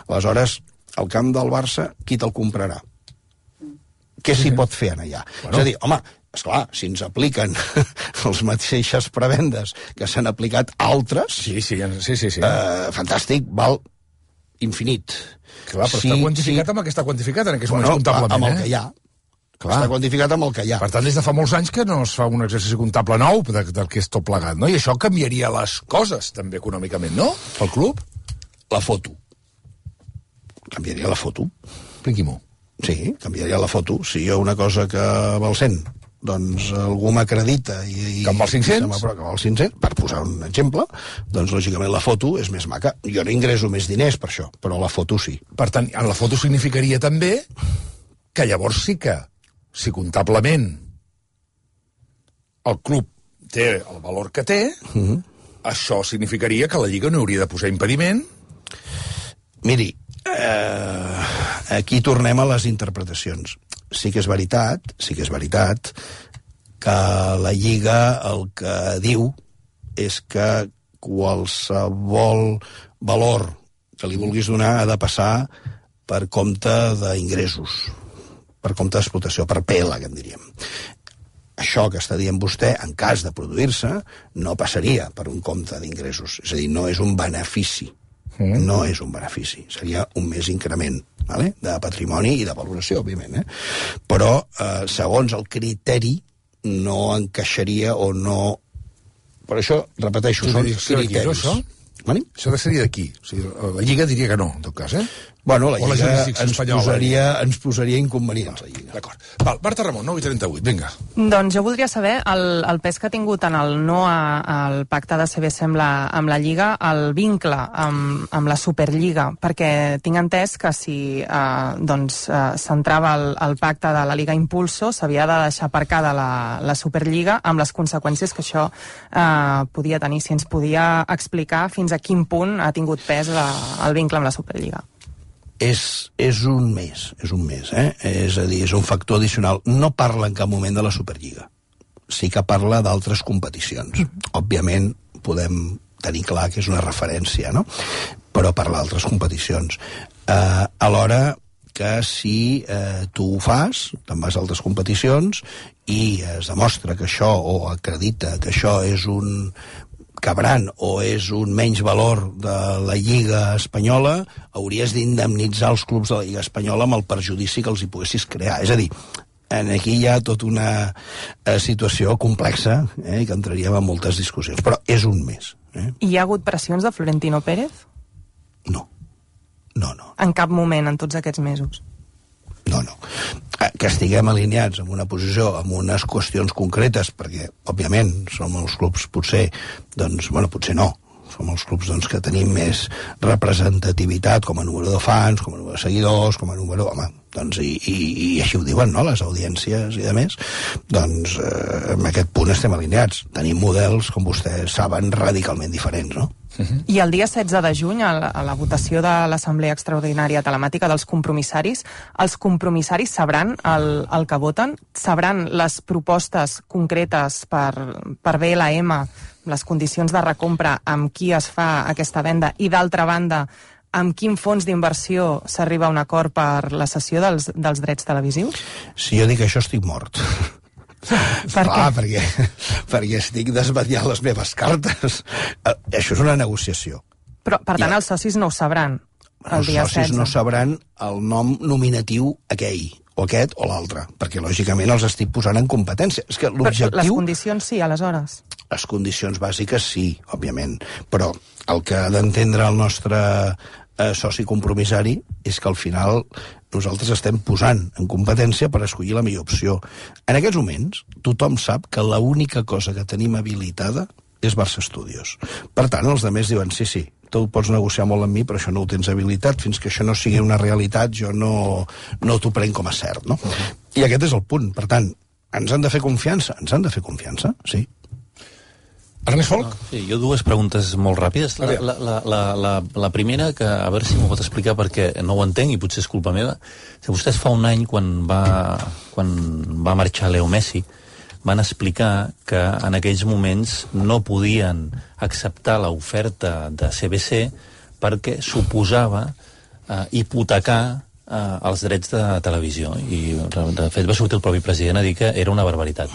Speaker 2: Aleshores, el camp del Barça, qui te'l comprarà? Què s'hi pot fer allà? És a dir, home, esclar, si ens apliquen les mateixes prebendes que s'han aplicat altres...
Speaker 1: Sí.
Speaker 2: Fantàstic, val infinit.
Speaker 1: Clar, però està quantificat amb el que està quantificat en aquests moments comptablement,
Speaker 2: amb el que hi ha. Clar. Està quantificat amb el que hi ha.
Speaker 1: Per tant, des de fa molts anys que no es fa un exercici comptable nou del que és tot plegat, no? I això canviaria les coses, també, econòmicament, no? Pel club?
Speaker 2: La foto. Canviaria la foto.
Speaker 1: Expliqui-m'ho.
Speaker 2: Sí, canviaria la foto. Si hi ha una cosa que val 100, doncs algú m'acredita
Speaker 1: que amb els 500?
Speaker 2: Que amb els 500, per posar un exemple, doncs lògicament la foto és més maca. Jo no ingreso més diners per això, però la foto sí.
Speaker 1: Per tant, en la foto significaria també que llavors sí que, si comptablement el club té el valor que té, això significaria que la Lliga no hauria de posar impediment.
Speaker 2: Miri, aquí tornem a les interpretacions. Sí que és veritat que la Lliga el que diu és que qualsevol valor que li vulguis donar ha de passar per compte d'ingressos, per compte d'explotació, per PL, que en diríem. Això que està dient vostè, en cas de produir-se, no passaria per un compte d'ingressos. És a dir, no és un benefici. No és un benefici, seria un més increment, vale? De patrimoni i de valoració, òbviament, però segons el criteri no encaixaria o no... Per això, repeteixo, són criteris.
Speaker 1: Això seria d'aquí. O sigui, la Lliga diria que no, en tot cas,
Speaker 2: Bueno, la Lliga ens posaria inconvenients, la Lliga.
Speaker 1: D'acord. Val, Marta Ramon, 9:38, vinga.
Speaker 3: Doncs jo voldria saber el pes que ha tingut en el no al pacte de CBC amb la Lliga, el vincle amb la Superliga, perquè tinc entès que si s'entrava el pacte de la Liga Impulso, s'havia de deixar aparcada la Superliga amb les conseqüències que això podia tenir. Si ens podia explicar fins a quin punt ha tingut pes el vincle amb la Superliga.
Speaker 2: És un més, és a dir, és un factor addicional. No parla en cap moment de la Superliga. Sí que parla d'altres competicions. Òbviament podem tenir clar que és una referència, no? Però parla d'altres competicions. Alhora que si tu ho fas, te'n vas a altres competicions i es demostra que això, o acredita que això és un cabran o és un menys valor de la Lliga Espanyola, hauries d'indemnitzar els clubs de la Lliga Espanyola amb el perjudici que els hi poguessis crear. És a dir, aquí hi ha tota una situació complexa i que entraríem en moltes discussions, però és un més.
Speaker 3: I hi ha hagut pressions de Florentino Pérez?
Speaker 2: No.
Speaker 3: En cap moment en tots aquests mesos?
Speaker 2: No. Que estiguem alineats en una posició, en unes qüestions concretes, perquè, òbviament, som els clubs, potser no. Som els clubs que tenim més representativitat com a número de fans, com a número de seguidors, com a número... I així ho diuen, no?, les audiències i de més. En aquest punt estem alineats. Tenim models, com vostès saben, radicalment diferents, no?
Speaker 3: I el dia 16 de juny, a la votació de l'Assemblea Extraordinària Telemàtica dels compromissaris, els compromissaris sabran el que voten? Sabran les propostes concretes per BLM, les condicions de recompra, amb qui es fa aquesta venda, i d'altra banda, amb quin fons d'inversió s'arriba a un acord per la cessió dels drets televisius?
Speaker 2: Si jo dic això, estic mort. Perquè estic desvetllant les meves cartes. Això és una negociació.
Speaker 3: Però, per tant, els socis no ho sabran el dia 16.
Speaker 2: Els socis no sabran el nom nominatiu aquell, o aquest o l'altre, perquè lògicament els estic posant en competència. És que l'objectiu...
Speaker 3: Però les condicions sí, aleshores.
Speaker 2: Les condicions bàsiques sí, òbviament, però el que ha d'entendre el nostre soci compromissari és que al final nosaltres estem posant en competència per escollir la millor opció. En aquests moments, tothom sap que l'única cosa que tenim habilitada és Barça Studios. Per tant, els altres diuen, sí, tu pots negociar molt amb mi, però això no ho tens habilitat, fins que això no sigui una realitat, jo no t'ho prenc com a cert, no? I aquest és el punt. Per tant, ens han de fer confiança? Ens han de fer confiança, sí.
Speaker 1: Ernest Folk?
Speaker 4: Sí, jo dues preguntes molt ràpides. La primera, que a veure si m'ho pot explicar perquè no ho entenc i potser és culpa meva. Vostès fa un any, quan va marxar Leo Messi, van explicar que en aquells moments no podien acceptar l'oferta de CBC perquè suposava hipotecar els drets de televisió. I, de fet, va sortir el propi president a dir que era una barbaritat.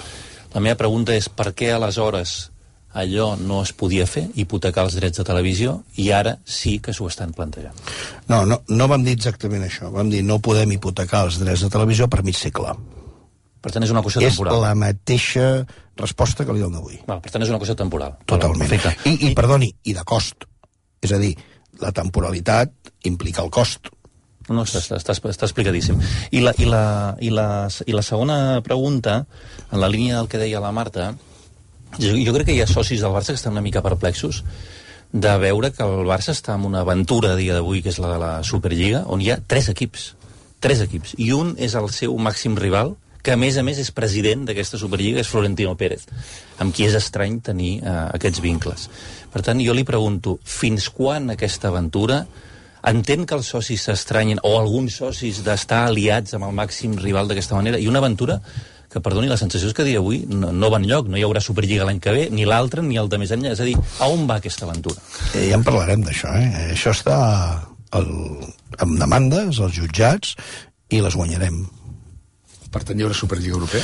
Speaker 4: La meva pregunta és per què aleshores allò no es podia fer, hipotecar els drets de televisió, i ara sí que s'ho estan plantejant?
Speaker 2: No vam dir exactament això. Vam dir no podem hipotecar els drets de televisió per mig segle.
Speaker 4: Per tant, és una qüestió temporal.
Speaker 2: És la mateixa resposta que li dono avui.
Speaker 4: Per tant, és una qüestió temporal.
Speaker 2: Totalment. I perdoni, i de cost. És a dir, la temporalitat implica el cost.
Speaker 4: No, està explicadíssim. I la segona pregunta, en la línia del que deia la Marta, jo crec que hi ha socis del Barça que estan una mica perplexos de veure que el Barça està en una aventura a dia d'avui, que és la de la Superliga, on hi ha 3 equips, i un és el seu màxim rival, que a més és president d'aquesta Superliga, és Florentino Pérez, amb qui és estrany tenir aquests vincles. Per tant, jo li pregunto, fins quan aquesta aventura? Entén que els socis s'estranyen, o alguns socis, d'estar aliats amb el màxim rival d'aquesta manera, i una aventura que, perdoni, la sensació és que a dia d'avui no va enlloc, no hi haurà Superliga l'any que ve, ni l'altre, ni el de més enllà. És a dir, a on va aquesta aventura?
Speaker 2: Ja en parlarem d'això, Això està amb demandes, als jutjats, i les guanyarem.
Speaker 1: Per tant, hi haurà Superliga Europea?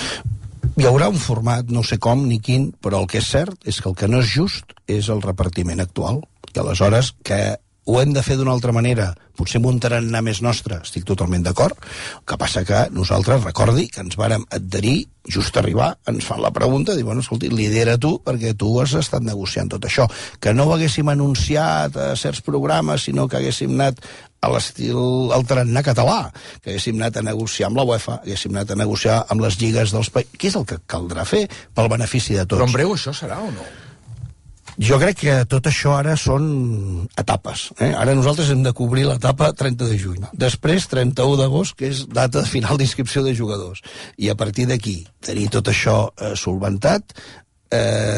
Speaker 2: Hi haurà un format, no sé com ni quin, però el que és cert és que el que no és just és el repartiment actual. I aleshores que ho hem de fer d'una altra manera, potser amb un tarannà més nostre, estic totalment d'acord. El que passa que nosaltres, recordi que ens vàrem adherir, just arribar, ens fan la pregunta, diuen, escolti, lidera tu, perquè tu has estat negociant tot això. Que no ho haguéssim anunciat a certs programes, sinó que haguéssim anat a l'estil al tarannà català, que haguéssim anat a negociar amb la UEFA, haguéssim anat a negociar amb les lligues dels països. Què és el que caldrà fer pel benefici de tots?
Speaker 1: Però en breu això serà o no?
Speaker 2: Jo crec que tot això ara són etapes. Ara nosaltres hem de cobrir l'etapa 30 de juny. Després, 31 d'agost, que és data de final d'inscripció de jugadors. I a partir d'aquí, tenir tot això solventat,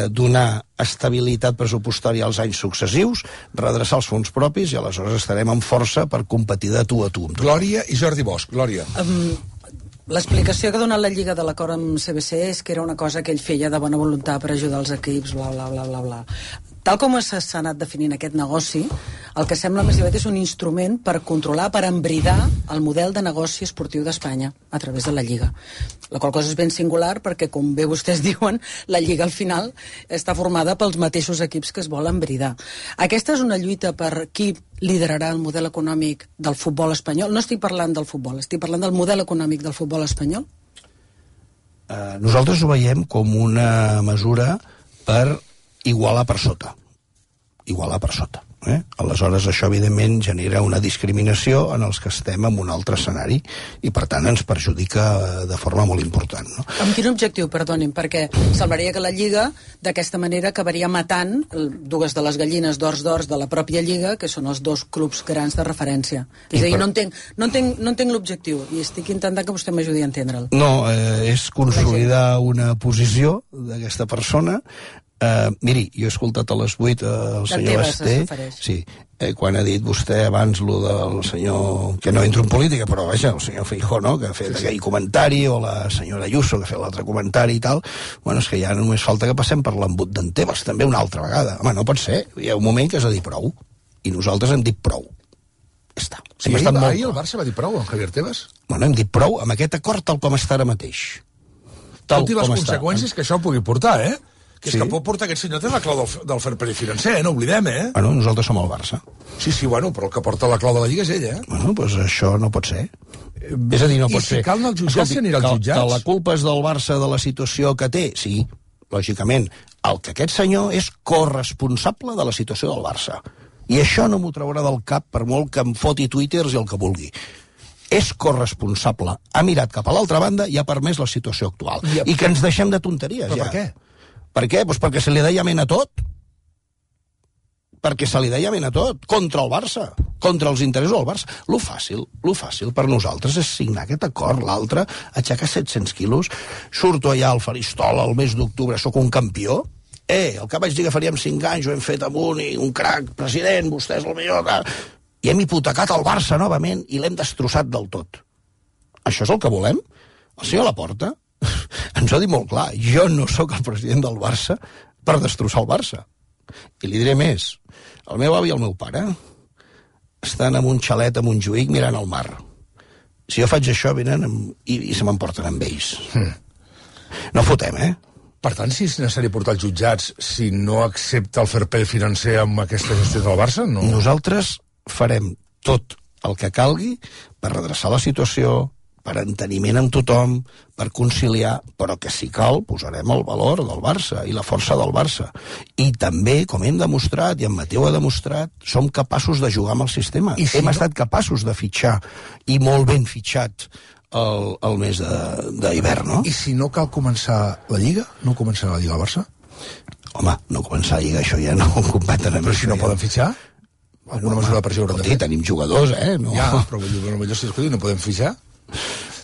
Speaker 2: donar estabilitat pressupostària als anys successius, redreçar els fons propis, i aleshores estarem amb força per competir de tu a tu.
Speaker 1: Glòria i Jordi Bosch. Glòria.
Speaker 5: L'explicació que ha donat la Lliga de l'acord amb CBC és que era una cosa que ell feia de bona voluntat per ajudar els equips, bla, bla, bla, bla, bla. Tal com s'ha anat definint aquest negoci, el que sembla més aviat és un instrument per controlar, per embridar el model de negoci esportiu d'Espanya a través de la Lliga. La qual cosa és ben singular perquè, com bé vostès diuen, la Lliga al final està formada pels mateixos equips que es volen embridar. Aquesta és una lluita per qui liderarà el model econòmic del futbol espanyol. No estic parlant del futbol, estic parlant del model econòmic del futbol espanyol.
Speaker 2: Nosaltres ho veiem com una mesura per igualar per sota. Aleshores, això, evidentment, genera una discriminació en els que estem en un altre escenari i, per tant, ens perjudica de forma molt important. No?
Speaker 5: Amb quin objectiu, perdonin? Perquè semblaria que la Lliga, d'aquesta manera, acabaria matant dues de les gallines d'ors de la pròpia Lliga, que són els 2 clubs grans de referència. És a dir, no entenc l'objectiu i estic intentant que vostè m'ajudi a entendre'l.
Speaker 2: No, és consolidar una posició d'aquesta persona. Miri, jo he escoltat a les 8 el senyor Basté, quan ha dit vostè abans lo del senyor, que no entro en política, però vaja, el senyor Feijóo, no?, que ha fet aquell comentari, o la senyora Ayuso, que ha fet l'altre comentari i tal. Bueno, és que ja només falta que passem per l'embut d'en Tebas també una altra vegada. Home, no pot ser, hi ha un moment que has de dir prou, i nosaltres hem dit prou. Està.
Speaker 1: Sí, ahir el Barça va dir prou, en Javier Tebas?
Speaker 2: Bueno, hem dit prou amb aquest acord tal com està ara mateix.
Speaker 1: Últimes conseqüències que això pugui portar, Que és que pot portar aquest senyor, té la clau del fair play financer, no oblidem,
Speaker 2: Bueno, nosaltres som el Barça.
Speaker 1: Sí, bueno, però el que porta la clau de la Lliga és ell,
Speaker 2: Bueno, doncs això no pot ser. És a dir, no pot ser.
Speaker 1: I si cal anar als jutjats, s'anirà als jutjats.
Speaker 2: Que la culpa és del Barça de la situació que té? Sí, lògicament. El que aquest senyor és corresponsable de la situació del Barça. I això no m'ho traurà del cap per molt que em foti twitters i el que vulgui. És corresponsable. Ha mirat cap a l'altra banda i ha permès la situació actual. I que ens deixem de tonteries,
Speaker 1: Però
Speaker 2: ja.
Speaker 1: per què?
Speaker 2: Per què? Doncs perquè se li deia ment a tot. Perquè se li deia ment a tot. Contra el Barça. Contra els interessos del Barça. Lo fàcil per nosaltres és signar aquest acord. L'altre, aixecar 700 quilos. Surto allà al faristol el mes d'octubre, sóc un campió. El que vaig dir que faríem 5 anys, ho hem fet amb un crac, president, vostè és el millor. I hem hipotecat el Barça novament i l'hem destrossat del tot. Això és el que volem? El senyor Laporta ens ho ha dit molt clar. Jo no sóc el president del Barça per destrossar el Barça. I li diré més. El meu avi i el meu pare estan en un xalet a Montjuïc mirant el mar. Si jo faig això, venen i se m'emporten amb ells. No fotem,
Speaker 1: Per tant, si és necessari portar els jutjats, si no accepta el fair play financer amb aquesta gestió del Barça, no?
Speaker 2: Nosaltres farem tot el que calgui per redreçar la situació, per enteniment amb tothom, per conciliar, però que si cal posarem el valor del Barça i la força del Barça. I també, com hem demostrat, i en Mateu ha demostrat, som capaços de jugar amb el sistema. Hem estat capaços de fitxar, i molt ben fitxat, el mes d'hivern, no?
Speaker 1: I si no cal començar la Lliga, no començarà la Lliga al Barça?
Speaker 2: Home, no començar la Lliga, això ja no ho competen a mi.
Speaker 1: Però si no poden fitxar? Alguna mesura de pressió haurà de fer?
Speaker 2: Tenim jugadors, no?
Speaker 1: Ja, però potser si escolti, no podem fitxar?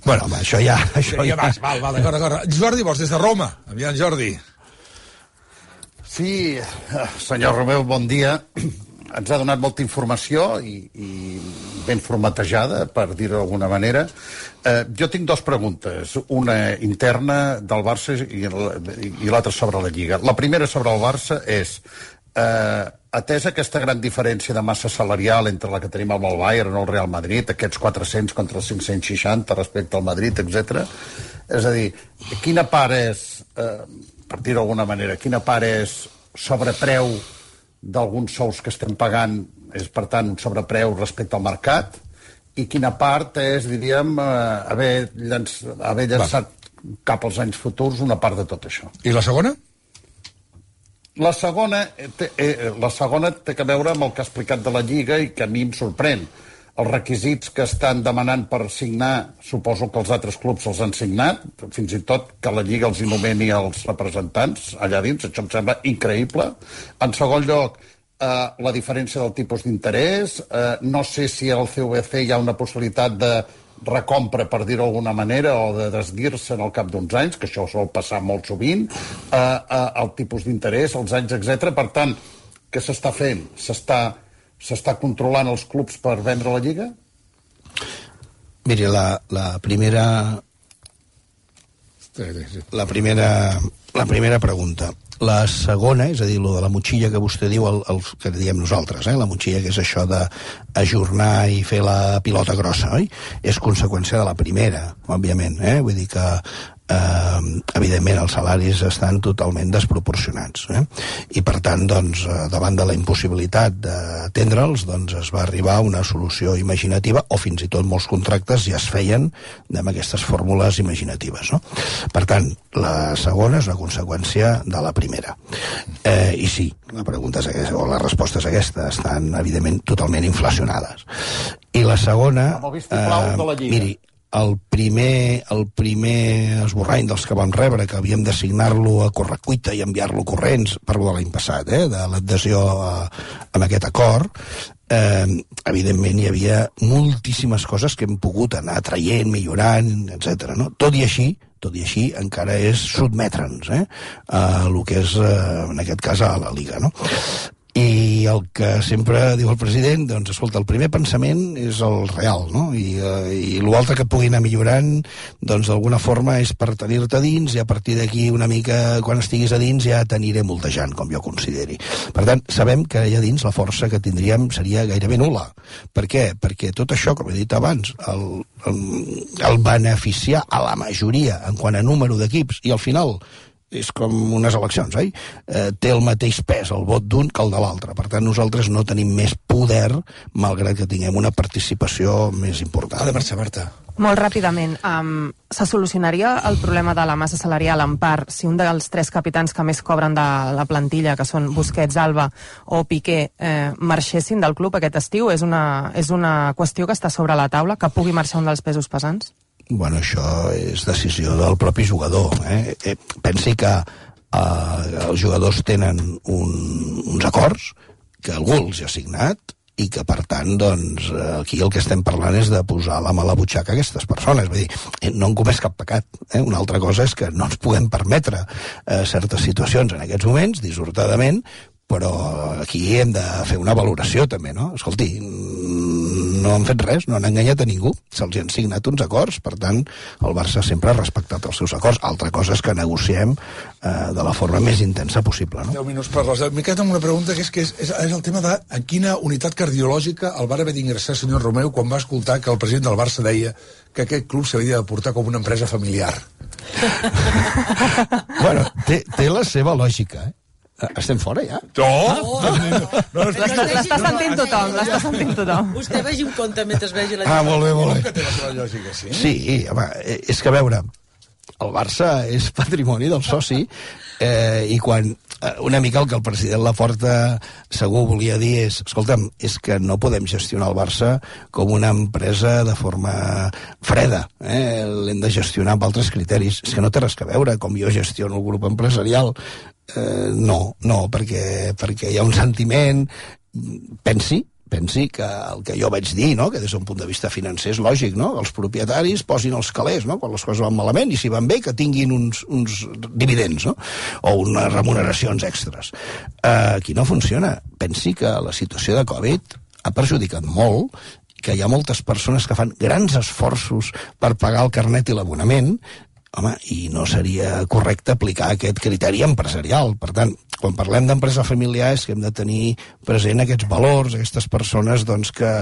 Speaker 2: Bueno, home, això ja...
Speaker 1: Val, d'acord. Jordi, vols des de Roma? Aviam, Jordi.
Speaker 6: Sí, senyor Romeu, bon dia. Ens ha donat molta informació i ben formatejada, per dir-ho d'alguna manera. Jo tinc 2 preguntes, una interna del Barça i l'altra sobre la Lliga. La primera sobre el Barça és, atesa aquesta gran diferència de massa salarial entre la que tenim amb el Bayern o el Real Madrid, aquests 400 contra els 560 respecte al Madrid, etc. És a dir, quina part és, per dir-ho d'alguna manera, quina part és sobrepreu d'alguns sous que estem pagant, és per tant un sobrepreu respecte al mercat, i quina part és, diríem, haver llançat cap als anys futurs una part de tot això.
Speaker 1: I la segona?
Speaker 6: La segona té a veure amb el que ha explicat de la Lliga i que a mi em sorprèn. Els requisits que estan demanant per signar, suposo que els altres clubs els han signat, fins i tot que la Lliga els nomeni els representants allà dins, això em sembla increïble. En segon lloc, la diferència del tipus d'interès, no sé si al CVC hi ha una possibilitat de recompra, per dir-ho d'alguna manera, o de desdir-se en el cap d'uns anys, que això sol passar molt sovint, el tipus d'interès, els anys, etc. Per tant, què s'està fent? S'està controlant els clubs per vendre la Lliga?
Speaker 2: Miri, la primera pregunta. La segona, és a dir, lo de la motxilla que vostè diu, el que diem nosaltres, la motxilla, que és això d'ajornar i fer la pilota grossa, oi? És conseqüència de la primera, òbviament, Vull dir que evidentment els salaris estan totalment desproporcionats, i per tant, doncs, davant de la impossibilitat d'atendre'ls, doncs es va arribar a una solució imaginativa, o fins i tot molts contractes ja es feien amb aquestes fórmules imaginatives, no? Per tant, la segona és una conseqüència de la primera. I sí, la pregunta és aquesta, o la resposta és aquesta, estan evidentment totalment inflacionades. I la segona, miri, el primer esborrany dels que vam rebre, que havíem de signar-lo a correcuita i enviar-lo corrents, parlo de l'any passat, de l'adhesió amb aquest acord, evidentment hi havia moltíssimes coses que hem pogut anar traient, millorant, etc. No? Tot i així, encara és sotmetre'ns a el que és, en aquest cas, a la Liga, no? I el que sempre diu el president, doncs, escolta, el primer pensament és el real, no? I l'altre que pugui anar millorant, doncs, d'alguna forma és per tenir-te dins, i a partir d'aquí una mica, quan estiguis a dins, ja t'aniré moltejant, com jo consideri. Per tant, sabem que allà dins la força que tindríem seria gairebé nul·la. Per què? Perquè tot això, com he dit abans, el beneficiar a la majoria en quant a número d'equips, i al final és com unes eleccions, oi? Té el mateix pes el vot d'un que el de l'altre. Per tant, nosaltres no tenim més poder, malgrat que tinguem una participació més important.
Speaker 1: Ha de marxar, Marta.
Speaker 3: Molt ràpidament, se solucionaria el problema de la massa salarial en part si un dels 3 capitans que més cobren de la plantilla, que són Busquets, Alba o Piqué, marxessin del club aquest estiu? És una qüestió que està sobre la taula, que pugui marxar un dels pesos pesants?
Speaker 2: Bueno, això és decisió del propi jugador. Pensi que els jugadors tenen uns acords que algú els ha signat i que, per tant, doncs, aquí el que estem parlant és de posar la mà a la butxaca a aquestes persones. Vull dir, no han comès cap pecat. Una altra cosa és que no ens podem permetre certes situacions en aquests moments, dissortadament, però aquí hem de fer una valoració també, no? Escolti, no han fet res, no han enganyat a ningú, se'ls han signat uns acords, per tant, el Barça sempre ha respectat els seus acords. Altra cosa és que negociem de la forma més intensa possible, no?
Speaker 1: 10 minuts per les 10. M'he quedat amb una pregunta que és el tema de en quina unitat cardiològica el va haver d'ingressar el senyor Romeu quan va escoltar que el president del Barça deia que aquest club s'havia de portar com una empresa familiar.
Speaker 2: Bueno, té la seva lògica, Estem fora, ja?
Speaker 3: L'està sentint tothom,
Speaker 5: Vostè vegi un compte mentre vegi la
Speaker 2: molt bé.
Speaker 1: Que té la seva lògica, sí?
Speaker 2: Sí, home, és que, a veure, el Barça és patrimoni del soci i quan una mica el que el president Laporta segur volia dir és, escolta'm, és que no podem gestionar el Barça com una empresa de forma freda, l'hem de gestionar amb altres criteris. És que no té res a veure com jo gestiono el grup empresarial. No, perquè hi ha un sentiment, pensi que el que jo vaig dir, no? Que des d'un punt de vista financer és lògic, no? Els propietaris posin els calés, no? Quan les coses van malament, i si van bé que tinguin uns dividends, no? O unes remuneracions extres. Aquí no funciona. Pensi que la situació de Covid ha perjudicat molt, que hi ha moltes persones que fan grans esforços per pagar el carnet i l'abonament. Home, i no seria correcte aplicar aquest criteri empresarial. Per tant, quan parlem d'empresa familiar és que hem de tenir present aquests valors, aquestes persones doncs, que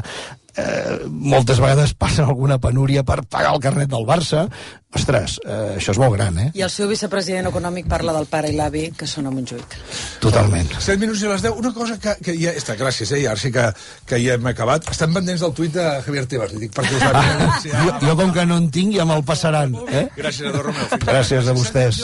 Speaker 2: moltes vegades passen alguna penúria per pagar el carnet del Barça. Ostres, això és molt gran,
Speaker 5: I el seu vicepresident econòmic parla del pare i l'avi, que són a Montjuïc.
Speaker 2: Totalment.
Speaker 1: 7 minuts i les 10. Una cosa que ja està, gràcies, ara sí que ja hem acabat. Estem pendents del tuit de Javier Tebas, li dic perquè us va...
Speaker 2: Jo com que no en tinc ja me'l passaran.
Speaker 1: Gràcies, Ador Romeu.
Speaker 2: Gràcies a vostès.